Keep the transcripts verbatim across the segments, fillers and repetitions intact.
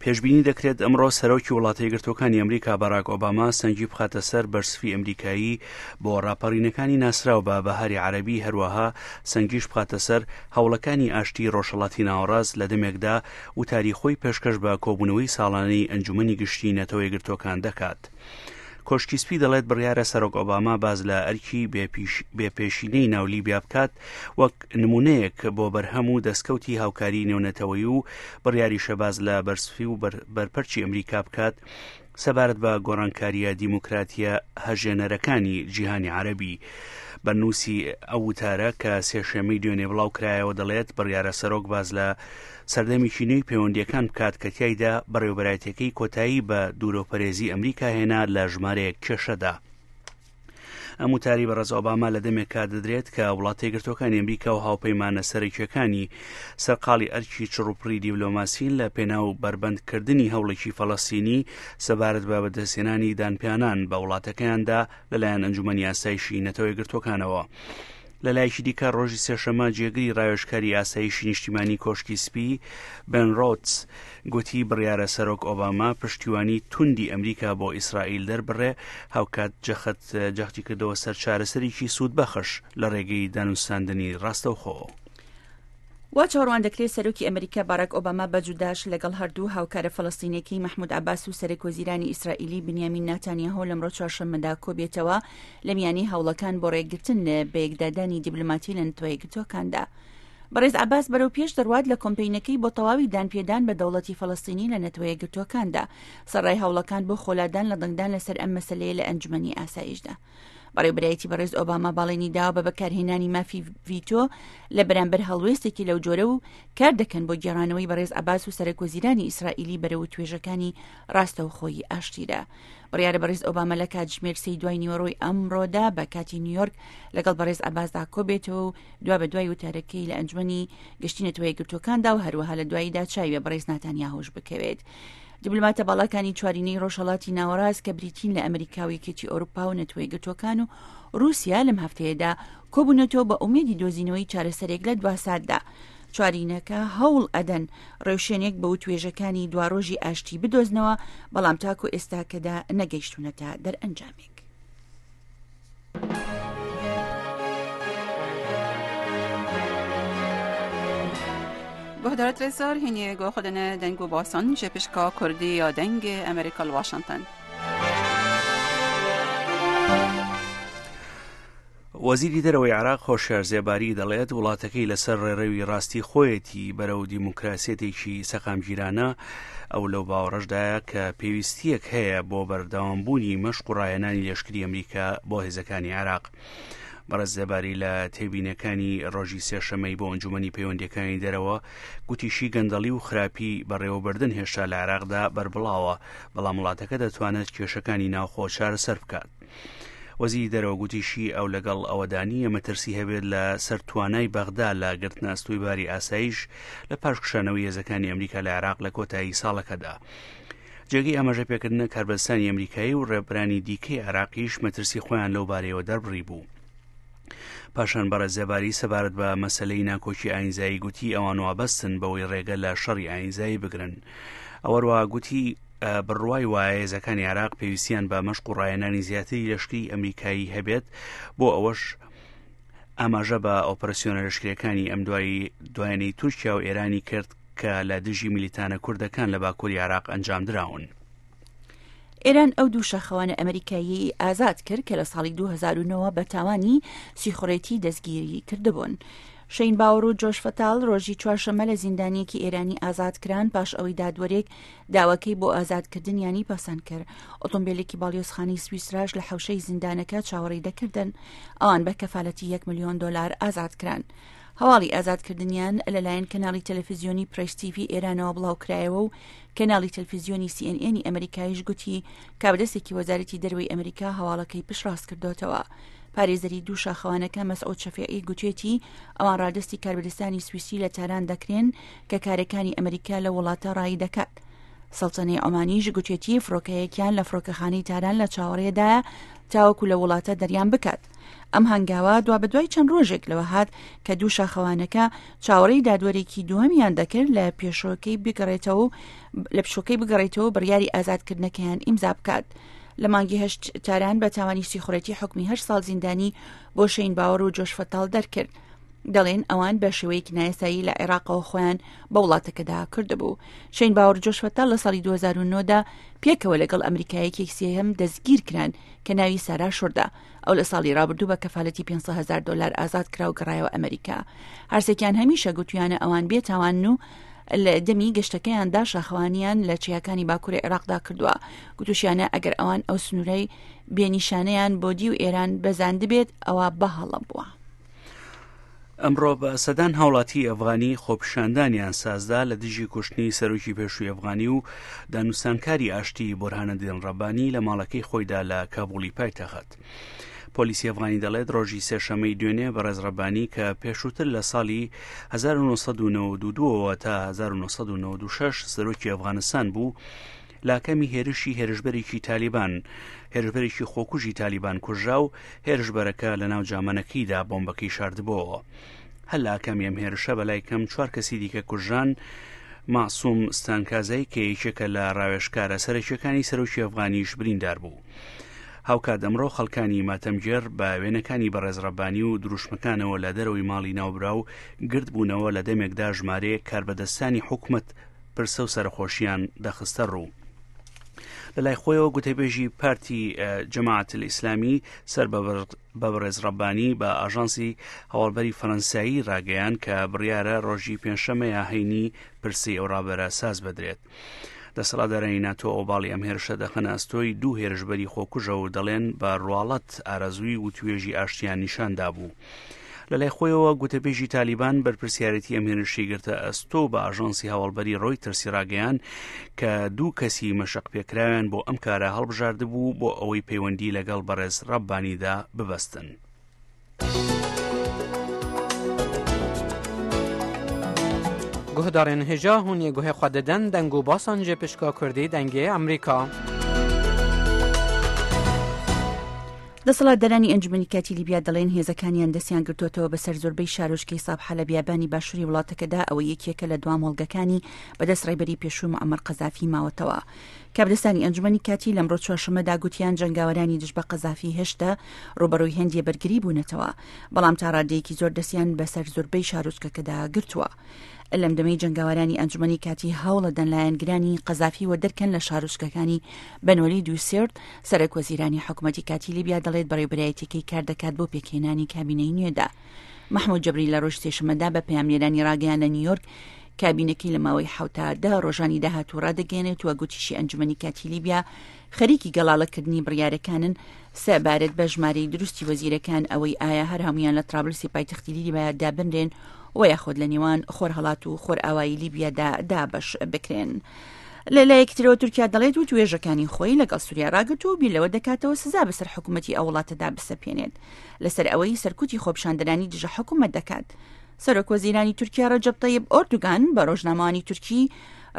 پێشبینی دەکرێت ئەمڕۆ سەرۆکی وڵاتە یەکگرتووەکانی ئەمریکا باراک ئۆباما سەنگی بخاتە سەر بەرسفی ئەمریکایی بۆ ڕاپەڕینەکانی ناسراو بە بەهاری عەرەبی، هەروەها سەنگیش بخاتە سەر هەوڵەکانی ئاشتی ڕۆژهەڵاتی ناوەڕاست لە دەمێکدا وتاری خۆی پێشکەش بە کۆبوونەوەی ساڵانەی ئەنجومەنی گشتی نەتەوە یەکگرتووەکان دەکات. کۆشکی سپی دەڵێت بڕیارە سەرۆک ئۆباما باز لە ئەرکی بێپێشینەی ناو لیبیا بکات وەک نمونەیەک بۆ بەرهەم و دەستکەوتی هاوکاری نێونەتەوەی و بڕیاریشە باز لە بەرسفی و بەرپەرچی ئەمریکا بکات سەبارەت بە گۆڕانکاریە دیموکراتیە هەژێنەرەکانی جیهانی عەرەبی. بەرنووسی ئەو وتارە کە سێشەممەی دوێنێ بڵاو کرایەوە دەڵێت بڕیارە سەرۆک باز لە سەردەمێکی نوێی پەیوەندیەکان بکات کە تیایدا بەڕێوەبەرایەتیەکەی کۆتایی بە دوورۆپەرێزی ئەمریکا هێنا لە ژمارەیەک کێشەدا. ئەم وتاری بەڕێز ئۆباما لە دەمێکا دەدرێت کە وڵاتە یەکگرتووەکانی ئەمریکا و هاوپەیمانە سەرەکیەکانی سەرقاڵی ئەرکی چڕوپڕی دیبلۆماسین لە پێناو بەربەندکردنی هەوڵێکی فەلەستینی سەبارەت بە بەدەستهێنانی دانپیانان بە وڵاتەکەیاندا لەلایەن ئەنجومەنی ئاسایشی نەتەوە یەکگرتووەکانەوە. لە لایەکی دیکە ڕۆژی سێشەممە جێگری ڕاوێژکاری ئاسایشی نیشتیمانی کۆشکی سپی بن ڕۆدس گوتی بڕیارە سەرۆک ئۆباما پشتیوانی توندی ئەمریکا بۆ ئیسرائیل دەربڕێ، هاوکات جەخت جەختی کردەوە سەر چارەسەرێکی سوودبەخش لە ڕێگەی دانوستاندنی ڕاستەوخۆ. وا چاوەڕوان دەکرێت سەرۆکی ئەمریکا باراک ئۆباما بە جوداش لەگەڵ هەردوو هاوکارە فەلەستینیەکەی مەحمود عەباس و سەرۆک وەزیرانی ئیسرائیلی بنیامین ناتانیاهۆ لەمڕۆ چوارشەممەدا کۆبێتەوە لە میانی هەوڵەکان بۆ ڕێگرتن لە بەیەکدادانی دیبلۆماتی لە نەتەوە یەکگرتووەکاندا. بەڕێز عەباس بەرەو پێش دەڕوات لە کۆمپەینەکەی بۆ تەواوی دانپێدان بە دەوڵەتی فەلەستینی لە نەتەوە یەکگرتووەکاندا، سەرڕای هەوڵەکان بۆ خۆلادان لە دەنگدان لەسەر ئەم مەسەلەیە لە ئەنجومەنی ئاسایشدا. بەڕێوەبەرایەتی بەڕێز ئۆباما باڵێنی داوە بە بەکارهێنانی مافی ڤیتۆ لە بەرامبەر هەڵوێستێکی لەو جۆرە و کار دەکەن بۆ گێڕانەوەی بەڕێز عەباس و سەرۆک وەزیرانی ئیسرائیلی بەرەو توێژەکانی ڕاستەوخۆی ئاشتیدا. بڕیارە بەڕێز ئۆباما لە کاتژمێر سێی دوای نیوەڕۆی ئەمڕۆدا بە کاتی نیویۆرک لەگەڵ بەڕێز عەباسدا کۆبێتەوە و دوا بە دوای وتارەکەی لە ئەنجومەنی گشتی نەتەوە یەکگرتووەکاندا و هەروەها لە دواییدا چاوی بە بەڕێز ناتانیاهۆش بکەوێت. دیبلۆماتە باڵاکانی چوارینەی ڕۆژهەڵاتی ناوەڕاست کە بریتین لە ئەمریکا و یەکێتی ئەوروپا و نەتەوە یەکگرتووەکان و رووسیا لەم هەفتەیەدا کۆبوونەتەوە بە ئومێدی دۆزینەوەی چارەسەرێک لە دواساتدا. چوارینەکە هەوڵ ئەدەن ڕێوشێنێک بە وتوێژەکانی دواڕۆژی ئاشتی بدۆزنەوە، بەڵام تاکو ئێستاکەدا نەگەیشتونەتە دەرئەنجامێک. گهدارت رزار هینی گو خودن دنگ و باسان جپشکا کردی یا دنگ امریکا واشنگتن. وەزیری دەرەوەی عێراق هۆشیار زێباری دەڵێت وڵاتەکەی لەسەر ڕێڕەوی ڕاستی خۆیەتی بەرەو دیموکراسیەتێکی سەقامگیرانە. ئەو لەو باوەڕەشدایە کە پێویستیەک هەیە بۆ بەردەوامبوونی مەشق و ڕاهێنانی لەشکری ئەمریکا بۆ هێزەکانی عێراق. بەڕێز زێباری لە تێبینەکانی ڕۆژی سێشەمەی بۆ ئەنجومەنی پەیوەندیەکانی دەرەوە گوتیشی گەندەڵی و خراپی بەڕێوەبردن هێشتا لە عێراقدا بەربڵاوە، بەڵام وڵاتەکە دەتوانێت کێشەکانی ناوخۆ چارەسەر بکات. وەزیری دەرەوە گوتیشی ئەو لەگەڵ ئەوەدانیە مەترسی هەبێت لە سەر توانای بەغدا لە گرتنە ئەستۆی باری ئاسایش لە پاش کشانەوەی هێزەکانی ئەمریکا لە عێراق لە کۆتایی ساڵەکەدا. جێگەی ئاماژە پێکردنە کاربەدەستانی ئەمریکایی و ڕێبەرانی دیکەی عێراقیش مەترسی خۆیان لەو بارەیەوە دەربڕی بوو. پاشان بەڕێز زێباری سەبارەت بە مەسلەی ناکۆکی ئاینزایی گوتی ئەوان وابەستن بەوەی ڕێگە لە شەڕی ئاینزایی بگرن. ئەوەروە گوتی بڕوای وایە هێزەکانی عێراق پێویستیان بە مەشق و ڕاهێنانی زیاتری لەشکری ئەمریکایی هەبێت، بۆ ئەوەش ئاماژە بە ئۆپەراسیۆنە لەشکریەکانی ئەم دوایی دوایانەی تورکیا و ئێرانی کرد کە لە دژی میلیتانە کوردەکان لە باکووری عێراق ئەنجام دراون. ئێران ئەو دوو شاخەوانە ئەمریکایی ئازاد کرد کە لە ساڵی دوو هەزار و نۆ بە تاوانی سیخوڕێتی دەستگیری کردبوون. شەین باوەڕ و جۆش فەتاڵ ڕۆژی چوارشەممە لە زیندانیەکی ئێرانی ئازاد کران پاش ئەوەی دادوەرێک داواکەی بۆ ئازادکردنیانی پەسەند کرد. ئۆتۆمبیلێکی باڵیۆزخانەی سویسراش لە حەوشەی زیندانەکە چاوەڕێی دەکردن. ئەوان بە کەفالەتی یەک ملیۆن دۆلار ئازاد کران. هەواڵی ئازادکردنیان لەلایەن کەناڵی تەلەفیزیۆنی پرێس تیڤی ئێرانەوە بڵاوکرایەوە و کەناڵی تەلەفیزیۆنی سی ئێن ئێنی ئەمریکایش گوتی کابدەستێکی وەزارەتی دەرەوەی ئەمریکا هەواڵەکەی پشتڕاست کردوتەوە. پارێزەری دوو شاخەوانەکە مەسعود شەفیعی گوتێتی ئەوان ڕادەستی کاربەدەستانی سویسری لە تاران دەکرێن کە کارەکانی ئەمریکا لە وڵاتە ڕایی دەکات. سەڵتەنەی عومانیش گوتێتی فڕۆکەیەکیان لە فڕۆکەخانەی تاران لە چاوەڕێدایە تاوەکو لە وڵاتە دەریان بکات. ئەم هەنگاوە دوابەدوای چەند ڕۆژێک لەوە هات کە دوو شاخەوانەکە چاوەڕێی دادوەرێکی دووەمیان دەکرد لە پێشۆکەی بگەڕێتەوە لە پشۆکەی بگەڕێتەوە بڕیاری ئازادکردنەکەیان ئیمزا بکات. لە مانگی هەشت تاران بە تاوانی سیخوڕێتی حکمی هەشت ساڵ زیندانی بۆ شەین باوەڕ و جۆش فەتاڵ دەرکرد. دەڵێن ئەوان بە شێوەیەکی نایاسایی لە عێراقەوە خۆیان بە وڵاتەکەدا کردبوو. شەین باوەڕ جۆش فەتاڵ لە ساڵی دوو هەزار و نۆ دا پێکەوە لەگەڵ ئەمریکایەکی سێهەم دەستگیر کران کە ناوی سارا شوردا. ئەو لە ساڵی ڕابردوو بە کەفالەتی پێنج سەد هەزار دلار ئازاد کرا و گەڕایەوە ئەمریکا. هەرسێکیان هەمیشە گوتویانە ئەوان بێتاوانن و لە دەمی گەشتەکەیاندا شاخەوانیان لە چیاکانی باکووری عێراقدا کردووە. گوتوشیانە ئەگەر ئەوان ئەو سنوورەی بێنیشانەیان بۆ دی و ئێران بەزاندبێت ئەوە بەهەڵە بووە. ئەمڕۆ بە سەدان هاوڵاتی ئەفغانی خۆپیشاندانیان سازدا لە دژی کوشتنی سەرۆکی پێشووی ئەفغانی و دانوستانکاری ئاشتی بۆرهانەدین ڕەبانی لە ماڵەکەی خۆیدا لە کابولی پایتەخت. پۆلیسی ئەفغانی دەڵێت ڕۆژی سێشەمەی دوێنێ بەڕێز ڕەبانی کە پێشووتر لە ساڵی هەزار و نۆ سەد و نەوەد و دوو تا هەزار و نۆ سەد و نەوەد و شەش سەرۆکی ئەفغانستان بوو، لاکەمی هێرشی هێرشبەرێکی تالیبان هێرشبەرێکی خۆکوژی تالیبان کوژرا و هێرشبەرەکە لە ناو جامانەکەیدا بۆمبەکەی شاردبۆوە. هەر لاکەمی ئەم هێرشە بەلای کەم چوار کەسی دیکە کوژران. مەعسوم ستانکازای کە یەکێکە لە ڕاوێژکارە سەرەکیەکانی سەرۆکی ئەفغانیش بریندار بوو. هاوکات ئەمڕۆ خەڵکانی ماتەمگێڕ بە وێنەکانی بەڕێز ڕەبانی و دروشمەکانەوە لە دەرەوەی ماڵی ناوبراو گردبوونەوە لە دەمێکدا ژمارەیەک کاربەدەستانی حکومەت پرسە و سەرخۆشیان دەخستە ڕوو. لە لای خۆیەوە گوتەبێژی پارتی جەماعەت ئیسلامی سەر بە بەڕێز ڕەبانی بە ئاژانسی هەواڵبەری فەرەنسایی ڕاگەیان کە بڕیارە ڕۆژی پێنجشەممەیە هەینی پرسی ئەو ڕابەرە ساز بدرێت. دەسەڵاتدارانی ناتۆ ئۆباڵی ئەم هێرشە دەخەنە ئەستۆی دوو هێرشبەری خۆکوژە و دەڵێن بە ڕواڵەت ئارەزووی وتوێژی ئاشتیان نیشاندا بوو. لە لای خۆیەوە گوتەبێژی تالیبان بەرپرسیارەتی ئەم هێرشی گرتە ئەستۆ بە ئاژانسی هەواڵبەری ڕۆیتەرسی ڕاگەیان کە دوو کەسی مەشق پێکراویان بۆ ئەم کارە هەڵبژاردبوو بۆ ئەوەی پەیوەندی لەگەڵ بەڕێز ڕەبانیدا ببەستن. گوهدارên hêja hûn ê guhê xwe didin deng û basan ji pişka Kurdî dengê Amerîka. دەسەڵاتدارانی ئەنجومەنی کاتی لیبیا دەڵێن هێزەکانیان دەستیان گرتووەتەوە بەسەر زۆربەی شارۆچکەی سابحە لە بیابانی باشووری وڵاتەکەدا، ئەوە یەکێکە لە دوا مۆڵگەکانی بەدەست ڕێبەری پێشوو معەمەر قەزافی ماوەتەوە. کاربەدەستانی ئەنجومەنی کاتی لەمڕۆ چوارشەممەدا گوتیان جەنگاوەرانی دژ بە قەزافی هێشتا ڕوبەڕووی هەندێ بەرگری بوونەتەوە، بەڵام تا ڕادەیەکی زۆر دەستیان بەسەر زۆربەی شارۆچکەکەدا گرتووە. لەم دەمەی جەنگاوەرانی ئەنجومەنی کاتی هەوڵەدەن لایەنگرانی قەزافی وەدەرکەن لە شارۆچکەکانی بەنوەلید و سێرت. سەرۆک وەزیرانی حکوومەتی کاتی لیبیا دەڵێت بەڕێوەبەرایەتیەکەی کار دەکات بۆ پێکهێنانی کابینەی نوێدا. مەحموود جەبری لە ڕۆژ سێشەممەدا بە پەیامنێرانی ڕاگەیان لە نیویۆرک کابینەکەی لە ماوەی حەوتا دە ڕۆژانی داهاتوو ڕادەگەیەنێت و گوتیشی ئەنجومەنی کاتی لیبیا خەریکی گەڵاڵەکردنی بڕیارەکانن سەبارەت بە ژمارەی دروستی وەزیرەکان، ئەوەی ئایا هەر هەمویان لە ترابلسی پایتەختی لیبیا دابنرێن و یاخود لە نێوان خۆرهەڵات و خۆرئاوایی لیبیادا دابەش بکرێن. لە لایەکی ترەوە تورکیا دەڵێت و توێژەکانی خۆی لەگەڵ سووریا ڕاگرت و بیر لەوە دەکاتەوە سزا بەسەر حکوومەتی ئەو وڵاتەدا بسەپێنێت لەسەر ئەوەی سەرکوتی خۆپیشاندەرانی دژە حکوومەت دەکات. سەرۆک وەزیرانی تورکیا ڕەجەب تەیب ئۆردوگان بە ڕۆژنامەوانی تورکی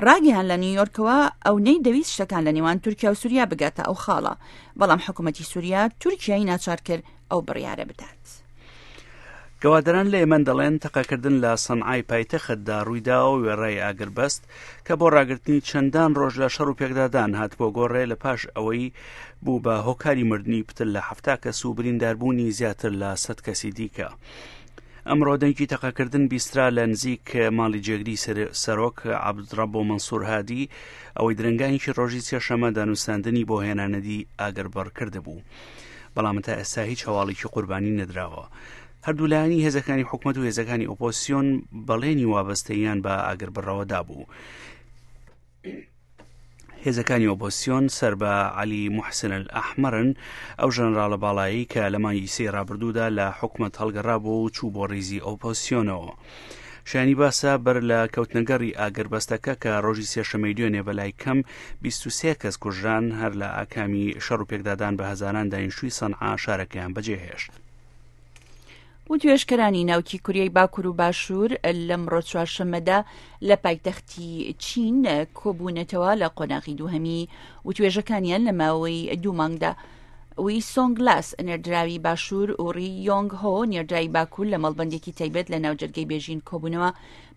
ڕاگەیان لە نیویۆرکەوە ئەو نەیدەویست شتەکان لە نێوان تورکیا و سووریا بگاتە ئەو خاڵە، بەڵام حکوومەتی سووریا تورکیای ناچار کرد ئەو بڕیارە بدات. گەوادران لە ئێمەن دەڵێن تەقەکردن لە سەنعای پایتەختدا ڕوویداوە وێڕای ئاگربەست کە بۆ ڕاگرتنی چەندان ڕۆژ لە شەڕ و پێکدادان هات بۆ گۆڕێ لە پاش ئەوەی بوو بە هۆکاری مردنی پتر لە حەفتا کەس و برینداربوونی زیاتر لە سەد کەسی دیکە. ئەمڕۆ دەنگی تەقەکردن بیسترا لە نزیک ماڵی جێگری سەرۆک عەبدڕەبۆ مەنسوور هادی، ئەوەی درەنگانێکی ڕۆژی سێشەممە دانوستاندنی بۆ هێنانەدی ئاگربڕ کردبوو، بەڵام تا ئێستا هیچ هەواڵێکی قوربانی نەدراوە. هەردوو لایەنی هێزەکانی حکومەت و هێزەکانی ئۆپۆزیسیۆن بەڵێنی وابەستەیان بە ئاگربڕەوە دابوو. هێزەکانی ئۆپۆزیسیۆن سەر بە عەلی موحسن ئەلئەحمەرن، ئەو ژەنەراڵە باڵایی کە لە مانگی سێی ڕابردوودا لە حکومەت هەڵگەڕابوو و چوو بۆ ڕیزی ئۆپۆزیسیۆنەوە. شایانی باسە بەر لە کەوتنەگەڕی ئاگربەستەکە کە ڕۆژی سێشەممەی دوێنێ بەلای کەم بیست و سێ کەس کوژران، هەر لە ئاکامی شەڕ و پێکدادان بە هەزاران دانیشتووی سەنعا شارەکەیان بەجێهێشت. وتوێژکەرانی ناوکی کوریای باکوور و باشوور لەمڕۆ چوارشەممەدا لە پایتەختی چین کۆبوونەتەوە لە قۆناغی دووهەمی وتوێژەکانیان لە ماوەی دوو مانگدا. وی سۆنگ لاس نێردراوی باشوور و ڕی یۆنگ هۆ نێردراوی باکوور لە مەڵبەندێکی تایبەت لە ناوجەرگەی بێژین کۆبوونەوە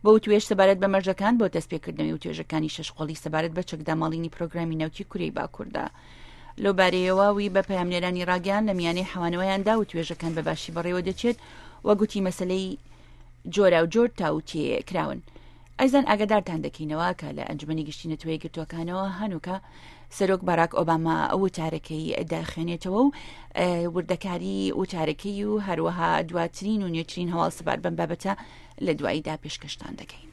بۆ وتوێژ سەبارەت بە مەرجەکان بۆ دەستپێکردنەوەی وتوێژەکانی شەش قۆڵی سەبارەت بە چەکداماڵینی پرۆگرامی ناوکی کورەی باکووردا. لەو بارەیەوە وی بە پەیامنێرانی ڕاگەیان لە میانەی حەوانەوەیاندا وتوێژەکان بە باشی بەڕێوە دەچێت و گوتی مەسلەی جۆراوجۆر تاوتێ کراون. ئەیزان ئاگادارتان دەکەینەوە کە لە ئەنجومەنی گشتی نەتەوە یەکگرتووەکانەوە هەنووکە سەرۆک باراک ئۆباما وتارەکەی دەخوێنێتەوە و وردەکاری وتارەکەی و هەروەها دواترین و نوێترین هەواڵ سەبارەت بەم بابەتە لە دواییدا پێشکەشتان دەکەین.